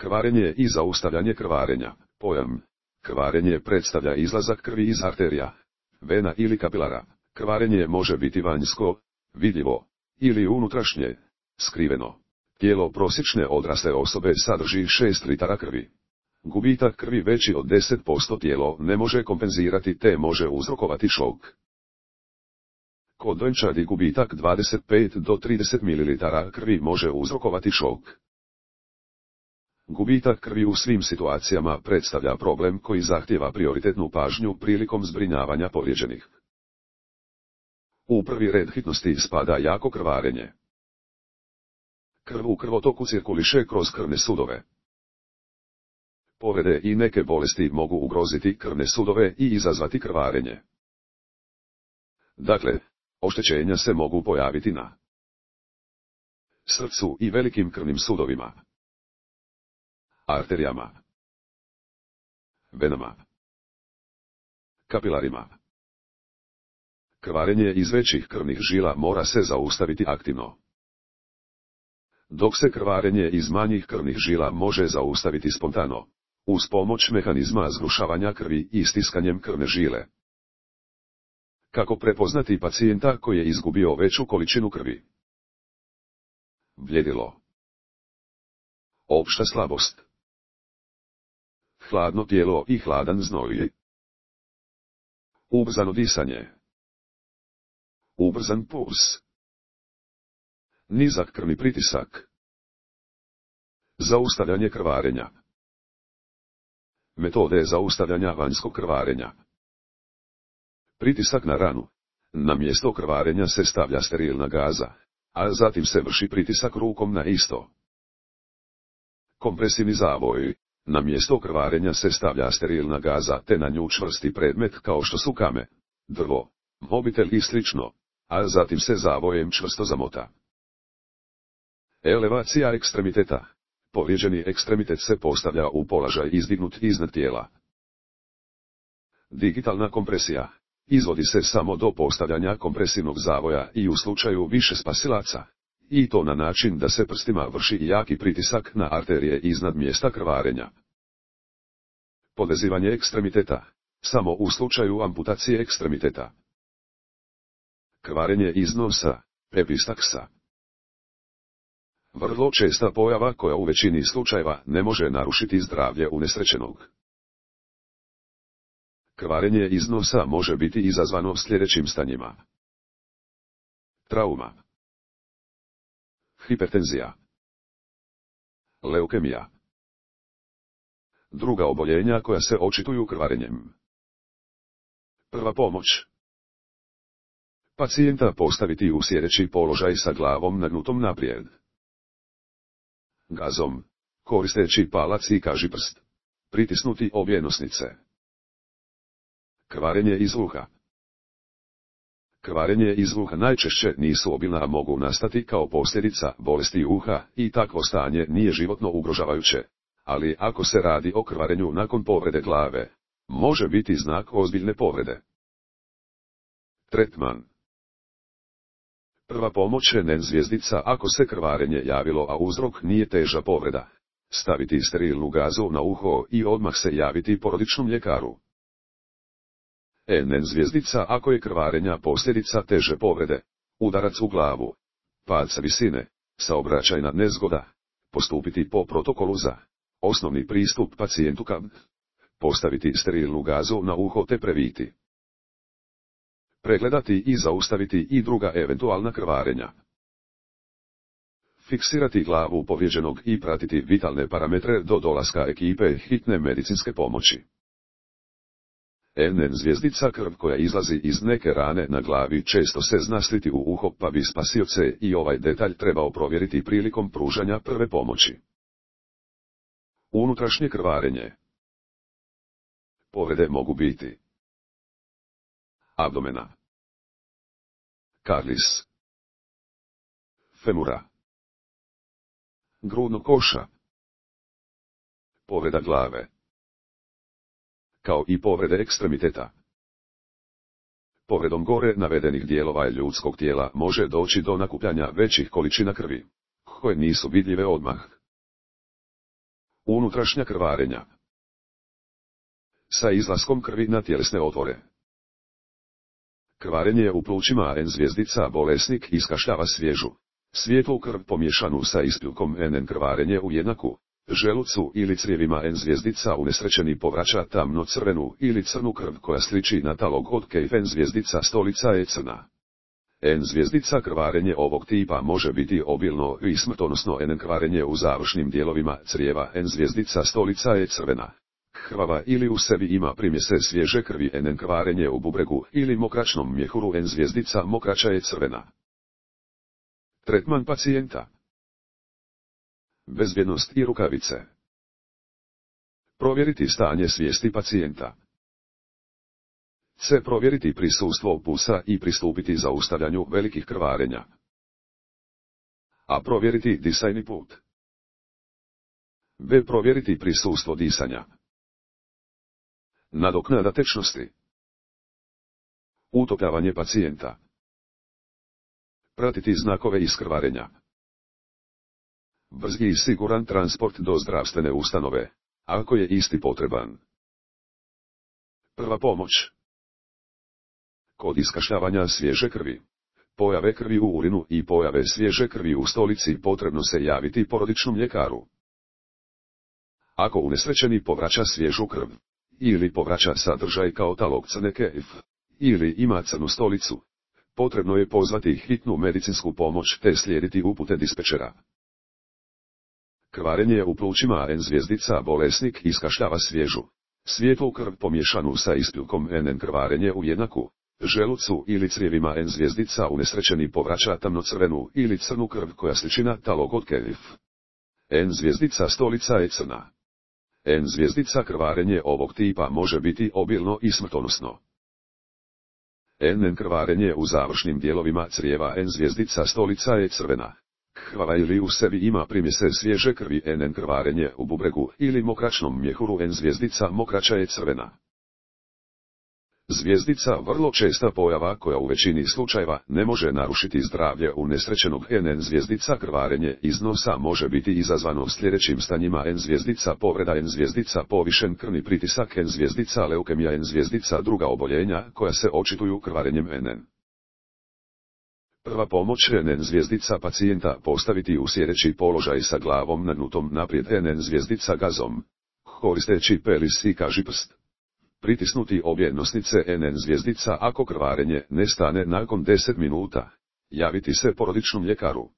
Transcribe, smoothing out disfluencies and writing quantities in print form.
Krvarenje i zaustavljanje krvarenja. Pojam. Krvarenje predstavlja izlazak krvi iz arterija, vena ili kapilara. Krvarenje može biti vanjsko, vidljivo, ili unutrašnje, skriveno. Tijelo prosječne odrasle osobe sadrži 6 litara krvi. Gubitak krvi veći od 10% tijelo ne može kompenzirati te može uzrokovati šok. Kod dojenčadi gubitak 25 do 30 ml krvi može uzrokovati šok. Gubitak krvi u svim situacijama predstavlja problem koji zahtijeva prioritetnu pažnju prilikom zbrinjavanja povrijeđenih. U prvi red hitnosti spada jako krvarenje. Krv u krvotoku cirkuliše kroz krvne sudove. Povrede i neke bolesti mogu ugroziti krvne sudove i izazvati krvarenje. Dakle, oštećenja se mogu pojaviti na srcu i velikim krvnim sudovima, arterijama, venama, kapilarima. Krvarenje iz većih krvnih žila mora se zaustaviti aktivno, dok se krvarenje iz manjih krvnih žila može zaustaviti spontano, uz pomoć mehanizma zgrušavanja krvi i stiskanjem krvne žile. Kako prepoznati pacijenta koji je izgubio veću količinu krvi? Bljedilo, opšta slabost, hladno tijelo i hladan znoj, ubrzano disanje, ubrzan puls, nizak krvni pritisak, zaustavljanje krvarenja. Metode zaustavljanja vanjskog krvarenja. Pritisak na ranu. Na mjesto krvarenja se stavlja sterilna gaza, a zatim se vrši pritisak rukom na isto. Kompresivni zavoj. Na mjesto krvarenja se stavlja sterilna gaza te na nju čvrsti predmet kao što su kame, drvo, mobitel i slično, a zatim se zavojem čvrsto zamota. Elevacija ekstremiteta. Povrijeđeni ekstremitet se postavlja u položaj izdignut iznad tijela. Digitalna kompresija. Izvodi se samo do postavljanja kompresivnog zavoja i u slučaju više spasilaca, i to na način da se prstima vrši jaki pritisak na arterije iznad mjesta krvarenja. Podvezivanje ekstremiteta. Samo u slučaju amputacije ekstremiteta. Krvarenje iz nosa, epistaksa. Vrlo česta pojava koja u većini slučajeva ne može narušiti zdravlje unesrećenog. Krvarenje iz nosa može biti izazvano sljedećim stanjima. Trauma, hipertenzija, leukemija. Druga oboljenja koja se očituju krvarenjem. Prva pomoć. Pacijenta postaviti u sjedeći položaj sa glavom nagnutom naprijed. Gazom, koristeći palac i kažiprst, pritisnuti obje nosnice. Krvarenje iz uha. Krvarenje iz uha najčešće nisu obilna, a mogu nastati kao posljedica bolesti uha i takvo stanje nije životno ugrožavajuće, ali ako se radi o krvarenju nakon povrede glave, može biti znak ozbiljne povrede. Tretman. Prva pomoć je NEN zvjezdica ako se krvarenje javilo, a uzrok nije teža povreda. Staviti sterilnu gazu na uho i odmah se javiti porodičnom ljekaru. NEN zvjezdica ako je krvarenja posljedica teže povrede, udarac u glavu, pad sa visine, saobraćajna nezgoda, postupiti po protokolu za osnovni pristup pacijentu KAB, postaviti sterilnu gazu na uho te previti. Pregledati i zaustaviti i druga eventualna krvarenja. Fiksirati glavu povrijeđenog i pratiti vitalne parametre do dolaska ekipe hitne medicinske pomoći. NEN zvjezdica krv koja izlazi iz neke rane na glavi često se zna sliti u uho, pa bi spasioce i ovaj detalj trebao provjeriti prilikom pružanja prve pomoći. Unutrašnje krvarenje. Povrede mogu biti abdomena, karlis, femura, grudnog koša, povreda glave, kao i povrede ekstremiteta. Povredom gore navedenih dijelova ljudskog tijela može doći do nakupljanja većih količina krvi, koje nisu vidljive odmah. Unutrašnja krvarenja. Sa izlaskom krvi na tjelesne otvore. Krvarenje u plućima N zvjezdica bolesnik iskašljava svježu, svijetlu krv pomiješanu sa ispilkom NN. Krvarenje u jednaku, želucu ili crijevima N zvjezdica unesrećeni povraća tamno crvenu ili crnu krv koja sliči na talog od kejf. N zvjezdica stolica je crna. N zvjezdica krvarenje ovog tipa može biti obilno i smrtonosno. NN. Krvarenje u završnim dijelovima crijeva N zvjezdica stolica je crvena, krvava ili u sebi ima primjese svježe krvi. NN. Krvarenje u bubregu ili mokračnom mjehuru N zvjezdica mokraća je crvena. Tretman pacijenta. Bezbjednost i rukavice. Provjeriti stanje svijesti pacijenta. C. Provjeriti prisustvo pulsa i pristupiti zaustavljanju velikih krvarenja. A. Provjeriti disajni put. B. Provjeriti prisustvo disanja. Nadoknada tečnosti. Utopljavanje pacijenta. Pratiti znakove iskrvarenja. Brzi i siguran transport do zdravstvene ustanove, ako je isti potreban. Prva pomoć. Kod iskašljavanja svježe krvi, pojave krvi u urinu i pojave svježe krvi u stolici potrebno se javiti porodičnom ljekaru. Ako unesrećeni povraća svježu krv, ili povraća sadržaj kao talog crne kejf, ili ima crnu stolicu, potrebno je pozvati hitnu medicinsku pomoć te slijediti upute dispečera. Krvarenje u plućima N zvjezdica bolesnik iskašljava svježu, svijetlu krv pomiješanu sa ispilkom NN. Krvarenje u jednaku, želucu ili crijevima N zvjezdica unesrećeni povraća tamnocrvenu ili crnu krv koja sliči na talog od kejf. N zvjezdica stolica je crna. N zvjezdica krvarenje ovog tipa može biti obilno i smrtonosno. NN. Krvarenje u završnim dijelovima crijeva N zvjezdica stolica je crvena, krvava ili u sebi ima primjese svježe krvi. NN. Krvarenje u bubregu ili mokračnom mjehuru N zvjezdica mokraća je crvena. Zvjezdica vrlo česta pojava koja u većini slučajeva ne može narušiti zdravlje unesrećenog. NN. Zvjezdica krvarenje iz nosa može biti izazvano sljedećim stanjima: N zvjezdica povreda, N zvjezdica povišen krvni pritisak, N zvjezdica leukemija, N zvjezdica druga oboljenja koja se očituju krvarenjem NN. Prva pomoć: NN. Zvjezdica pacijenta postaviti u sjedeći položaj sa glavom nagnutom naprijed. NN. Zvjezdica gazom, koristeći pelis i kažiprst. Pritisnuti obje nosnice. NN. Zvjezdica ako krvarenje ne stane nakon 10 minuta, javiti se porodičnom ljekaru.